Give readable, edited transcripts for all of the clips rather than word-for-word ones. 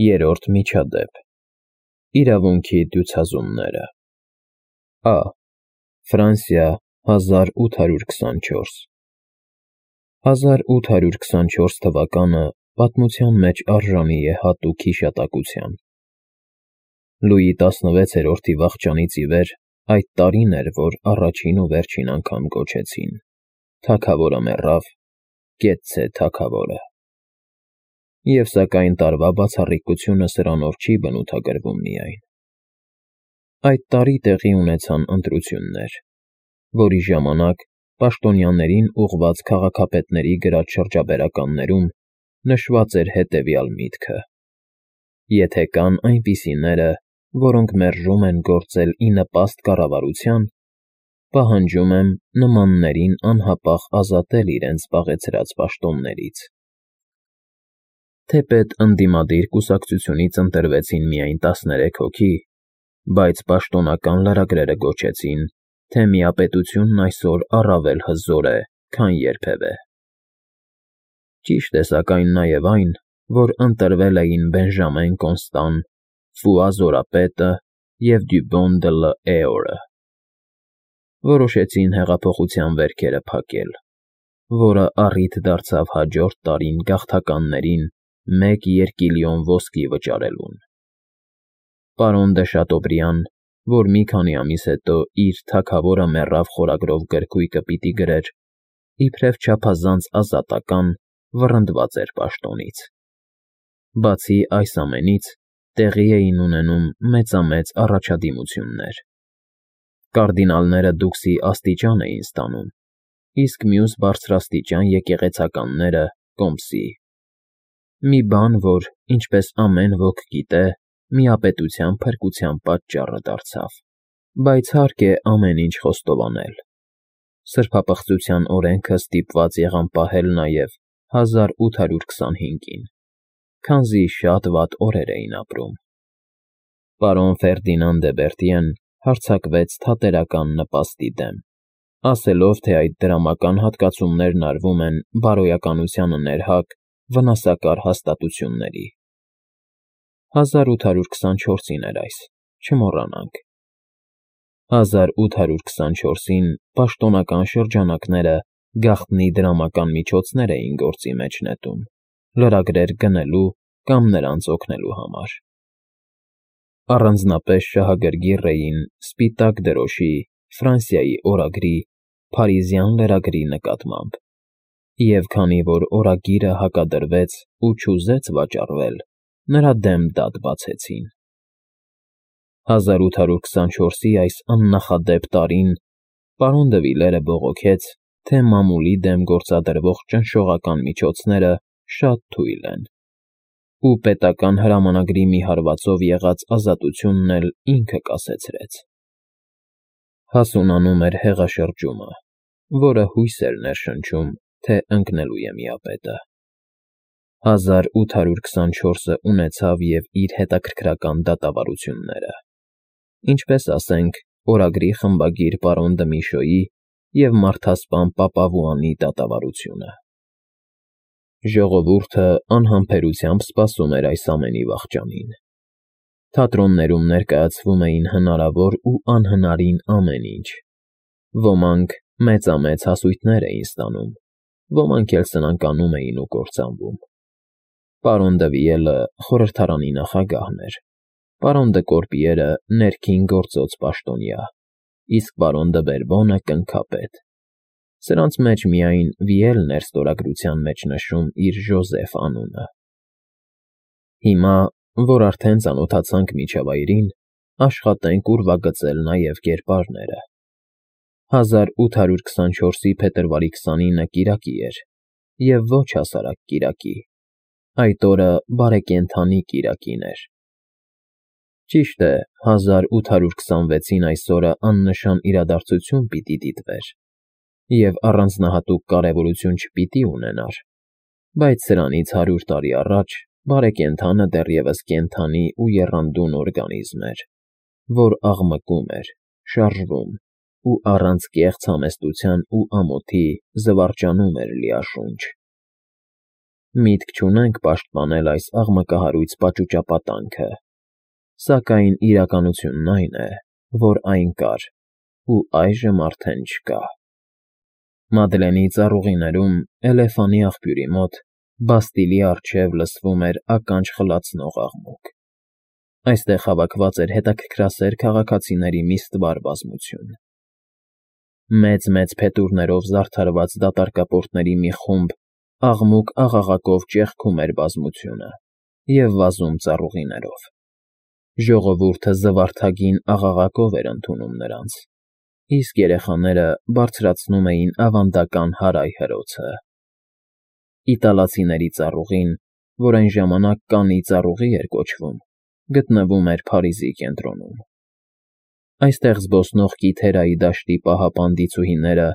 Երրորդ միջադեպ Իրավունքի դյուցազումները Ա. Ֆրանսիա 1824 1824 թվականը պատմության մեջ արժանի է հատուկ հիշատակության։ Լուի 16-րդի վախճանից ի վեր այդ տարին էր, որ առաջին ու վերջին անգամ կոչեցին. «Թագավորը մեռավ, կեցցե թագավորը»։ Եվ սակայն տարվա բացառիկությունը սրանով չի բնութագրվում միայն։ Այդ տարի տեղի ունեցան ընտրություններ, որի ժամանակ պաշտոնյաներին ուղղված քաղաքապետների գրած շրջաբերականներում նշված էր հետևյալ միտքը. եթե կան այնպիսիները, որոնք մերժում են գործել ի նպաստ կառավարության, պահանջում եմ նմաններին անհապաղ ազատել իրենց զբաղեցրած պաշտոններից։ Թեպետ ընդդիմադիր կուսակցությունից ընտրվեցին միայն 13 հոգի, բայց պաշտոնական լրագրերը գոչեցին, թե միապետությունն այսօր առավել հզոր է, քան երբևէ։ Ճիշտ է սակայն նաև այն, որ ընտրվել էին Բենժամեն Կոնստան, Ֆուա Զորապետը և Դյուբոն դը Լ'Էորը։ Որոշեցին հեղափոխության վերքերը փակել, որը առիթ դարձավ հաջորդ տարին գաղթականներին 1 երկիլիոն ոսկի վճարելուն։ Պարոն դը Շատոբրիան, որ մի քանի ամիս հետո իր «Թագավորը մեռավ» խորագրով գրքույկը պիտի գրեր, իբրև չափազանց ազատական, վռնդված էր պաշտոնից։ Բացի այս ամենից, տեղի էին ունենում մեծամեծ առաջադիմություններ։ Կարդինալները դուքսի աստիճան էին ստանում, իսկ մյուս բարձրաստիճան եկեղեցականները՝ կոմսի։ Մի բան, որ, ինչպես ամեն ոք գիտե, միապետության փրկության պատճառը դարձավ, բայց հարկ է ամեն ինչ խոստովանել։ Սրբապղծության օրենքը ստիպված եղան պահել նաև 1825-ին, քանզի շատ վատ օրեր էին ապրում։ Պարոն Ֆերդինան դե Բերտիեն հարձակվեց թատերական նպաստի դեմ, ասելով, թե այդ դրամական հատկացումներն արվում են բարոյականությանը ներհակ վնասակար հաստատությունների։ 1824-ին էր այս, չմոռանանք։ 1824-ին պաշտոնական շրջանակները գաղտնի դրամական միջոցներ էին գործի մեջ նետում՝ լրագրեր գնելու կամ նրանց օգնելու համար։ Առանձնապես շահագրգիռ էին Սպիտակ դրոշի, Ֆրանսիայի օրագրի, Փարիզյան լրագրի նկատմամբ, և քանի որ օրագիրը հակադրվեց ու չուզեց վաճառվել, նրա դեմ դատ բացեցին։ 1824-ի այս աննախադեպ տարին պարոն դը Վիլերը բողոքեց, թե մամուլի դեմ գործադրվող ճնշողական միջոցները շատ թույլ են, ու պետական հրամանագրի մի հարվածով եղած ազատությունն էլ ինքը կասեցրեց։ Հասունանում էր հեղաշրջումը, որը հույս էր ներշնչում, թե ընկնելու է միապետը։ 1824-ը ունեցավ և իր հետաքրքրական դատավարությունները, ինչպես ասենք օրագրի խմբագիր պարոն դը Միշոյի և մարդասպան Պապավուանի դատավարությունը։ Ժողովուրդը անհամբերությամբ սպասում էր այս ամենի վախճանին։ Թատրոններում ներկայացվում էին հնարավոր ու անհնարին ամեն ինչ։ Ոմանք մեծամեծ հասույթներ էին ստանում, ոմանք էլ սնանկանում էին ու կործանվում։ Պարոն դը Վիելը խորհրդարանի նախագահն էր, պարոն դը Կորպիերը ներքին գործոց պաշտոնյա, իսկ պարոն դը Բերբոնը կնքապետ։ Սրանց մեջ միայն Վիելն էր ստորագրության մեջ նշում իր Ժոզեֆ անունը։ Հիմա, որ արդեն ծանոթացանք միջավայրին, աշխատենք ուրվագծել նաև կերպարները։ 1824-ի փետրվարի 29-ը կիրակի էր, և ոչ հասարակ կիրակի, այդ օրը բարեկենդանի կիրակին էր։ Ճիշտ է, 1826-ին այս օրը աննշան իրադարձություն պիտի դիտվեր և առանձնահատուկ կարևորություն չպիտի ունենար, բայց սրանից 100 տարի առաջ բարեկենդանը դեռևս կենդանի ու եռանդուն օրգանիզմ էր, որ աղմկում էր, շարժվում ու առանց կեղծ համեստության ու ամոթի զվարճանում էր լիաշունչ։ Միտք չունենք պաշտպանել այս աղմկահարույց պաճուճապատանքը, սակայն իրականությունն այն է, որ այն կար, ու այժմ արդեն չկա։ Մադլենի ծառուղիներում Էլեֆանի աղբյուրի մոտ Բաստիլի առջև լսվում էր ականջ խլացնող աղմուկ։ Այստեղ հավաքված էր հետաքրքրասեր քաղաքացիների մի ստվար բազմություն։ Մեծ-մեծ փետուրներով զարդարված դատարկապորտների մի խումբ աղմուկ-աղաղակով ճեղքում էր բազմությունը և վազում ծառուղիներով։ Ժողովուրդը զվարթագին աղաղակով էր ընդունում նրանց, իսկ երեխաները բարձրացնում էին ավանդական հարայ հրոցը։ Իտալացիների ծառուղին, որ այն ժամանակ Կանի ծառուղի էր կոչվում, գտնվում էր Փարիզի կենտրոնում։ Այստեղ զբոսնող Կիթերայի դաշտի պահապան դիցուհիները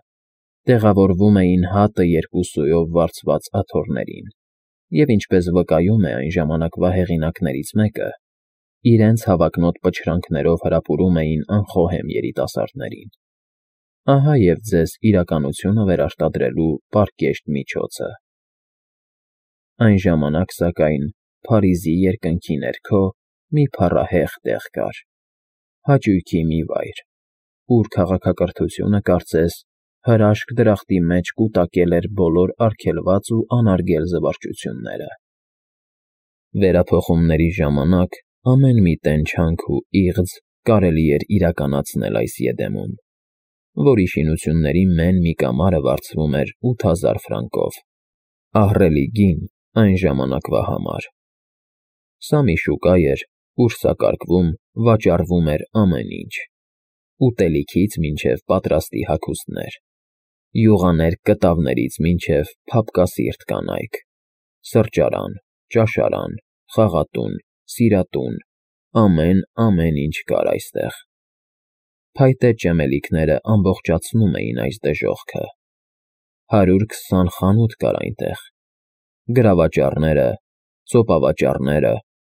տեղավորվում էին հատը երկու սույով վարձված աթոռներին և, ինչպես վկայում է այն ժամանակվա հեղինակներից մեկը, իրենց հավակնոտ պչրանքներով հրապուրում էին անխոհեմ երիտասարդներին։ Ահա և ձեզ իրականությունը վերարտադրելու պարկեշտ միջոցը։ Այն ժամանակ, սակայն, Փարիզի երկնքի ներքո մի փառահեղ տեղ կար, հաճույքի մի վայր, ուր քաղաքակրթությունը, կարծես, հրաշք դրախտի մեջ կուտակել էր բոլոր արգելված ու անարգել զվարճությունները։ Վերափոխումների ժամանակ ամեն մի տենչանք ու իղձ կարելի էր իրականացնել այս Եդեմում, որի շինությունների մեն մի կամարը վարձվում էր 8000 ֆրանկով, ահռելի գին այն ժամանակվա համար։ Սա մի շուկա էր, ուր սակարկվում, վաճառվում էր ամեն ինչ. ուտելիքից մինչև պատրաստի հագուստներ, յուղաներ կտավներից մինչև փափկասիրտ կանայք, սրճարան, ճաշարան, խաղատուն, սիրատուն, ամեն ինչ կար այստեղ։ Փայտե ճեմելիքները ամբողջացնում էին այս դժոխքը։ 120 խանութ կար այնտեղ, գրավաճառները, ծոպավաճառները,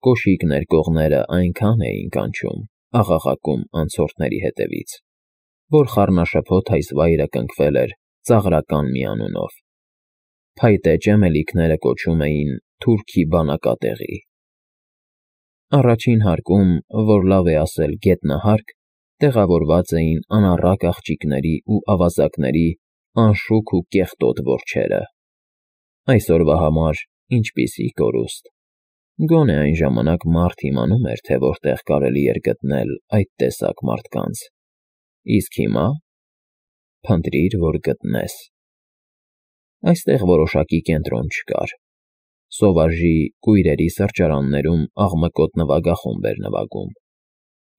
կոշիկ ներկողները այնքան էին կանչում, աղաղակում անցորդների հետևից, որ խառնաշփոթ այս վայրը կնքվել էր ծաղրական մի անունով։ Փայտե ճեմելիքները կոչում էին թուրքի բանակատեղի։ Առաջին հարկում, որ լավ է ասել գետնահարկ, տեղավորված էին անառակ աղջիկների ու ավազակների անշուք ու կեղտոտ որջերը։ Այսօրվա համար ինչպիսի կորուստ։ Գոնե այն ժամանակ մարդ իմանում էր, թե որտեղ կարելի էր գտնել այդ տեսակ մարդկանց, իսկ հիմա… Փնտրիր, որ գտնես։ Այստեղ որոշակի կենտրոն չկար։ Սովաժի կույրերի սրճարաններում աղմկոտ նվագախումբ էր նվագում։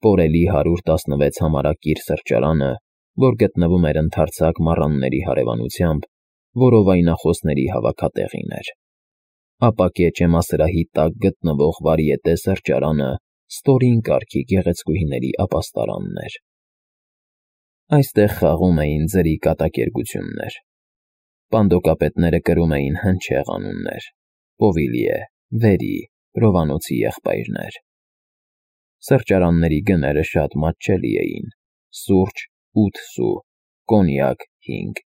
Պորելի 116 համարակիր սրճարանը, որ գտնվում էր ընդարձակ մառանների հարևանությամբ, որովայնախոսների հավաքատեղին էր։ Ապակե ճեմասրահի տակ գտնվող վարիետե սրճարանը ստորին կարգի գեղեցկուհիների ապաստարանն էր։ Այստեղ խաղում էին ձրի կատակերգություններ։ Պանդոկապետները կրում էին հնչեղ անուններ՝ Պովիլիե, Վերի, Պրովանոցի եղբայրներ։ Սրճարանների գները շատ մատչելի էին՝ սուրճ 8 սու, կոնյակ 5,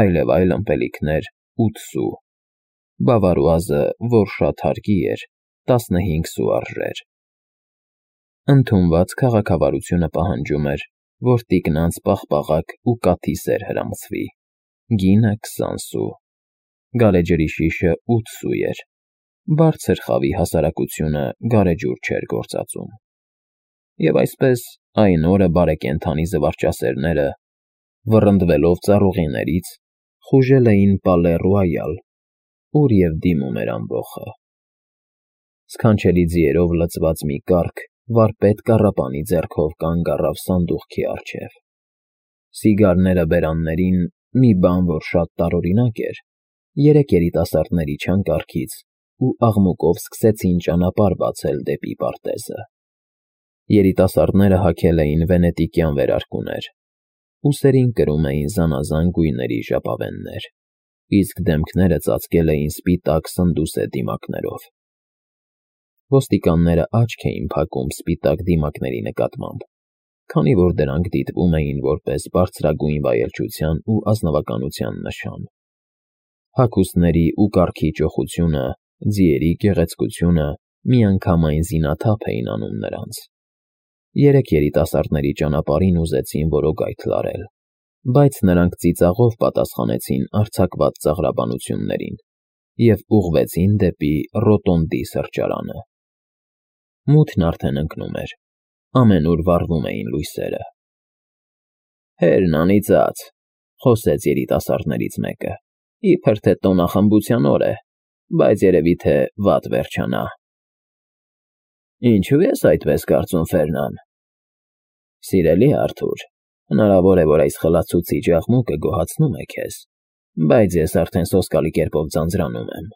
այլև այլ ըմպելիքներ 8 սու, բավարուազը, որ շատ հարկի էր, 15 սու արժեր։ Ընդունված քաղաքավարությունը պահանջում էր, որ տիկնանց պաղպաղակ ու կաթի սեր հրամցվի, գինը 20 սու, գարեջրի շիշը 8 սու էր, բարձր խավի հասարակությունը գարեջուր չէր գործածում։ Եվ այսպես այն օրը բարեկենդանի զվարճասերները, վռնդվելով ծառուղիներից, խուժել էին Պալե Ռոյալ, ուր և դիմում էր ամբոխը։ Սքանչելի ձիերով լցված մի կառք վարպետ կառապանի ձեռքով կանգ առավ սանդուղքի առջև։ Սիգարները բերաններին, մի բան, որ շատ տարօրինակ էր, 3 երիտասարդներ իջան կառքից ու աղմուկով սկսեցին ճանապարհ բացել դեպի պարտեզը։ Երիտասարդները հագել էին վենետիկյան վերարկուներ, ուսերին կրում էին զանազան գույների ժապավեններ, իսկ դեմքները ծածկել էին սպիտակ սնդուսե դիմակներով։ Ոստիկանները աչք էին փակում սպիտակ դիմակների նկատմամբ, քանի որ դրանք դիտվում էին որպես բարձրագույն վայելչության ու ազնվականության նշան։ Հագուստների ու կառքի ճոխությունը Ձիերի գեղեցկությունը միանգամայն զինաթափ էին անում նրանց։ Երեք երիտասարդների ճանապարհին ուզեցին որոգայթ լարել, բայց նրանք ծիծաղով պատասխանեցին արձակված ծաղրաբանություններին և ուղղվեցին դեպի Ռոտոնդի սրճարանը։ Մութն արդեն ընկնում էր, ամենուր վառվում էին լույսերը։ «Հերն անիծած,֊ խոսեց երիտասարդներից մեկը,֊ իբր թե տոնախմբության օր է, բայց երևի թե վատ վերջանա»։ «Ինչու ես այդպես կարծում, Ֆերնան»։ «Սիրելի Արթուր, հնարավոր է, որ այս խլացուցիչ աղմուկը գոհացնում է քեզ, բայց ես արդեն սոսկալի կերպով ձանձրանում եմ։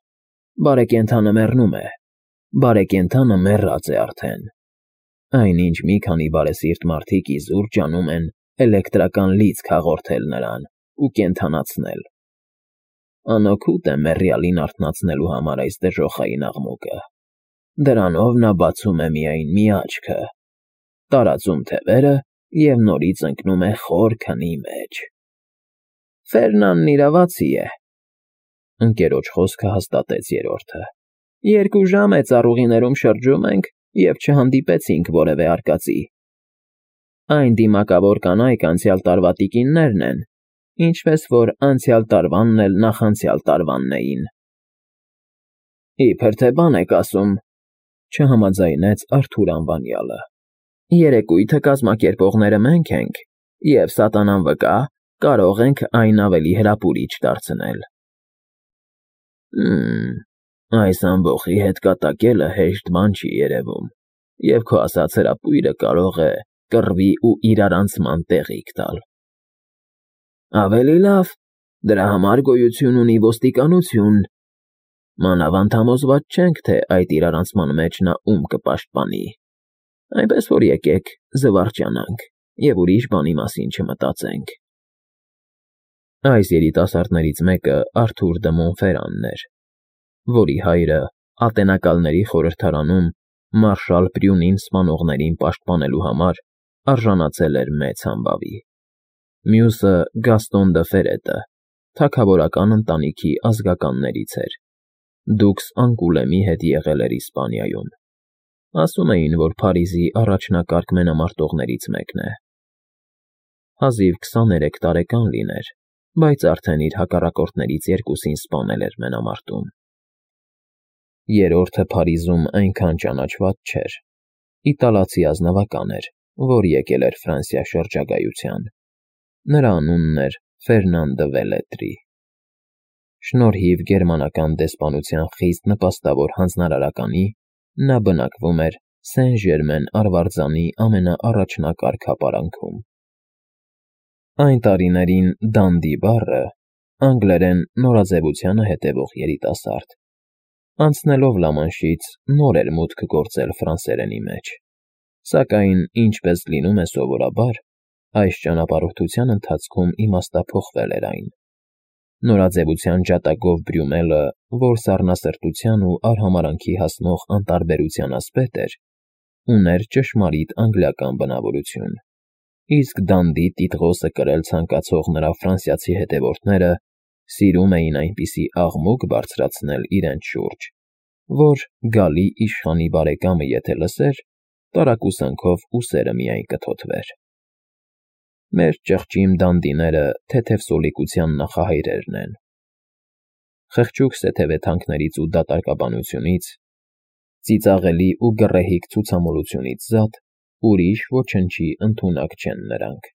Բարեկենդանը մեռնում է, բարեկենդանը մեռած է արդեն։ Այնինչ մի քանի բարեսիրտ մարդիկ իզուր ջանում են էլեկտրական լիցք հաղորդել նրան ու կենդանացնել։ Անօգուտ է մեռյալին արթնացնելու համար այս դժոխային աղմուկը։ Դրանով նա բացում է միայն մի աչքը, տարածում թևերը և նորից ընկնում է խոր քնի մեջ»։ «Ֆերնանն իրավացի է», ընկերոջ խոսքը հաստատեց երրորդը։ «2 ժամ է ծառուղիներում շրջում ենք և չհանդիպեցինք որևէ արկածի։ Այն դիմակավոր կանայք անցյալ տարվա տիկիններն են, ինչպես որ անցյալ տարվանն էլ նախանցյալ տարվանն էին»։ «Իբր թե բան եք ասում,֊ չհամաձայնեց Արթուր անվանյալը,֊ երեկույթը կազմակերպողները մենք ենք, և սատանան վկա, կարող ենք այն ավելի հրապուրիչ դարձնել»։ Այս ամբոխի հետ կատակելը հեշտ բան չի երևում, և քո ասած հրապույրը կարող է կռվի ու իրարանցման տեղիք տալ»։ «Ավելի լավ, դրա համար գոյություն ունի ոստիկանություն, մանավանդ համոզված չենք, թե այդ իրարանցման մեջ նա ում կպաշտպանի, այնպես որ եկեք զվարճանանք և ուրիշ բանի մասին չմտածենք»։ Այս երիտասարդներից մեկը Արթուր դը Մոնֆերանն էր, որի հայրը Ատենակալների խորհրդարանում մարշալ Պրյունին սպանողներին պաշտպանելու համար արժանացել էր մեծ համբավի։ Մյուսը Գաստոն դը Ֆերետը թագավորական ընտանիքի ազգականներից էր, դուքս Անկուլեմի հետ եղել էր Իսպանիայում։ Ասում էին, որ Փարիզի առաջնակարգ մենամարտողներից մեկն է։ Հազիվ 23 տարեկան լիներ, բայց արդեն իր հակառակորդներից երկուսին սպանել էր մենամարտում։ Երրորդը Փարիզում այնքան ճանաչված չէր։ Իտալացի ազնվական էր, որ եկել էր Ֆրանսիա շրջագայության։ Նրա անունն էր Ֆերնան դը Վելետրի։ Շնորհիվ գերմանական դեսպանության խիստ նպաստավոր հանձնարարականի, նա բնակվում էր Սեն֊Ժերմեն արվարձանի ամենաառաջնակարգ հապարանքում։ Այն տարիներին դանդի բառը անգլերեն նորաձևությանը հետևող երիտասարդ, անցնելով Լամանշից նոր էր մուտք գործել ֆրանսերենի մեջ, սակայն, ինչպես լինում է սովորաբար, այս ճանապարհորդության ընթացքում իմաստափոխվել էր այն։ Նորաձևության ջատագով Բրյումելը, որ սառնասրտության ու արհամարհանքի հասնող անտարբերության ասպետ էր, ուներ ճշմարիտ անգլիական բնավորություն, իսկ դանդի տիտղոսը կրել ցանկացող նրա ֆրանսիացի հետևորդները սիրում էին այնպիսի աղմուկ բարձրացնել իրենց շուրջ, որ գալի իշխանի բարեկամը եթե լսեր, տարակուսանքով ուսերը միայն կթոթվեր։ Մեր ճղճիմ դանդիները թեթև սոլիկության նախահայրերն են։ Խղճուկ սեթևեթանքներից ու դատարկաբանությունից, ծիծաղելի ու գռեհիկ ցուցամոլությունից զատ ուրիշ ոչնչի ընդունակ չեն նրանք։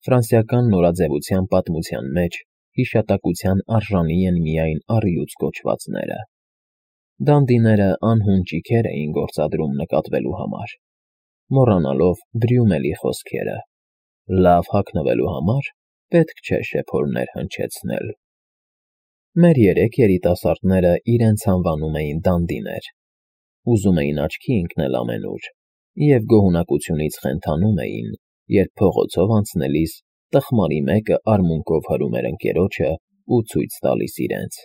Ֆրանսիական նորաձևության պատմության մեջ հիշատակության արժանի են միայն առյուծ կոչվածները։ Դանդիները անհուն ճիգեր էին գործադրում նկատվելու համար, մոռանալով Բրյումելի խոսքերը. «Լավ հագնվելու համար պետք չէ շեփորներ հնչեցնել»։ Մեր երեք երիտասարդները իրենց անվանում էին դանդիներ, ուզում էին աչքի ընկնել ամենուր և գոհունակությունից խենթանում էին, երբ փողոցով անցնելիս տխմարի մեկը արմունկով հրում էր ընկերոջը ու ցույց տալիս իրենց։